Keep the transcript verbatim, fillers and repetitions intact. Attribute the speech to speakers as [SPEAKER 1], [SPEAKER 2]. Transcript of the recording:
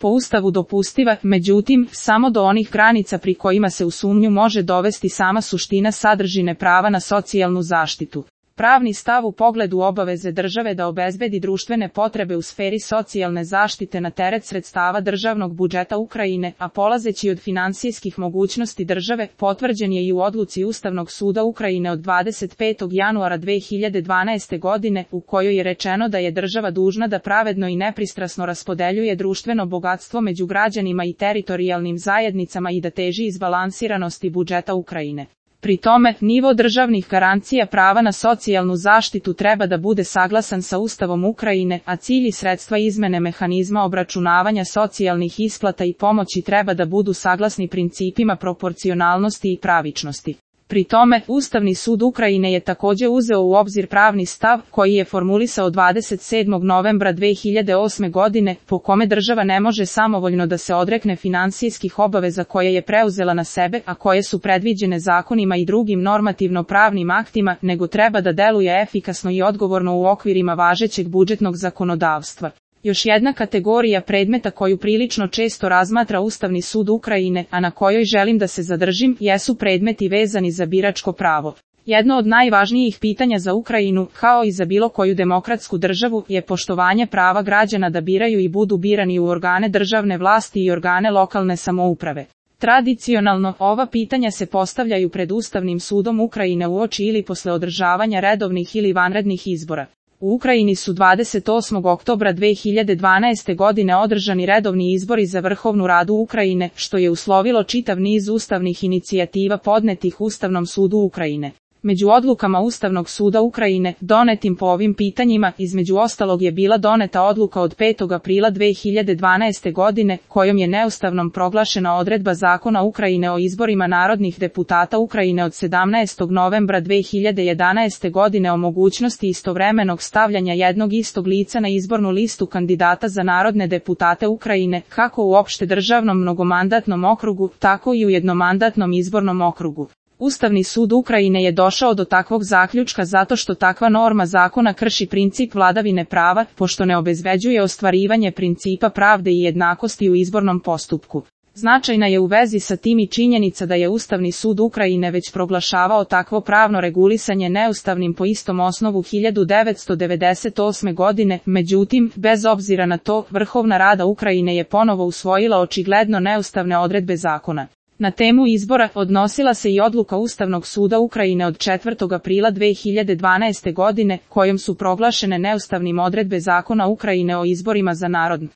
[SPEAKER 1] po Ustavu dopustiva, međutim, samo do onih granica pri kojima se u sumnju može dovesti sama suština sadržine prava na socijalnu zaštitu. Pravni stav u pogledu obaveze države da obezbedi društvene potrebe u sferi socijalne zaštite na teret sredstava državnog budžeta Ukrajine, a polazeći od finansijskih mogućnosti države, potvrđen je i u odluci Ustavnog suda Ukrajine od dvadeset petog januara dve hiljade dvanaeste. godine, u kojoj je rečeno da je država dužna da pravedno i nepristrasno raspodeljuje društveno bogatstvo među građanima i teritorijalnim zajednicama i da teži izbalansiranosti budžeta Ukrajine. Pri tome, nivo državnih garancija prava na socijalnu zaštitu treba da bude saglasan sa Ustavom Ukrajine, a cilj i sredstva izmene mehanizma obračunavanja socijalnih isplata i pomoći treba da budu saglasni principima proporcionalnosti i pravičnosti. Pri tome, Ustavni sud Ukrajine je takođe uzeo u obzir pravni stav koji je formulisao dvadeset sedmog novembra dve hiljade osme. godine, po kome država ne može samovoljno da se odrekne finansijskih obaveza koje je preuzela na sebe, a koje su predviđene zakonima i drugim normativno-pravnim aktima, nego treba da deluje efikasno i odgovorno u okvirima važećeg budžetnog zakonodavstva. Još jedna kategorija predmeta koju prilično često razmatra Ustavni sud Ukrajine, a na kojoj želim da se zadržim, jesu predmeti vezani za biračko pravo. Jedno od najvažnijih pitanja za Ukrajinu, kao i za bilo koju demokratsku državu, je poštovanje prava građana da biraju i budu birani u organe državne vlasti i organe lokalne samouprave. Tradicionalno, ova pitanja se postavljaju pred Ustavnim sudom Ukrajine uoči ili posle održavanja redovnih ili vanrednih izbora. U Ukrajini su dvadeset osmog oktobra dve hiljade dvanaeste. godine održani redovni izbori za Vrhovnu radu Ukrajine, što je uslovilo čitav niz ustavnih inicijativa podnetih Ustavnom sudu Ukrajine. Među odlukama Ustavnog suda Ukrajine, donetim po ovim pitanjima, između ostalog je bila doneta odluka od petog aprila dve hiljade dvanaeste. godine, kojom je neustavnom proglašena odredba Zakona Ukrajine o izborima narodnih deputata Ukrajine od sedamnaestog novembra dve hiljade jedanaeste. godine o mogućnosti istovremenog stavljanja jednog istog lica na izbornu listu kandidata za narodne deputate Ukrajine, kako u opšte državnom mnogomandatnom okrugu, tako i u jednomandatnom izbornom okrugu. Ustavni sud Ukrajine je došao do takvog zaključka zato što takva norma zakona krši princip vladavine prava, pošto ne obezbeđuje ostvarivanje principa pravde i jednakosti u izbornom postupku. Značajna je u vezi sa tim i činjenica da je Ustavni sud Ukrajine već proglašavao takvo pravno regulisanje neustavnim po istom osnovu hiljadu devetsto devedeset osme. godine, međutim, bez obzira na to, Vrhovna rada Ukrajine je ponovo usvojila očigledno neustavne odredbe zakona. Na temu izbora odnosila se i odluka Ustavnog suda Ukrajine od četvrtog aprila dve hiljade dvanaeste. godine, kojom su proglašene neustavnim odredbe Zakona Ukrajine o izborima za narodne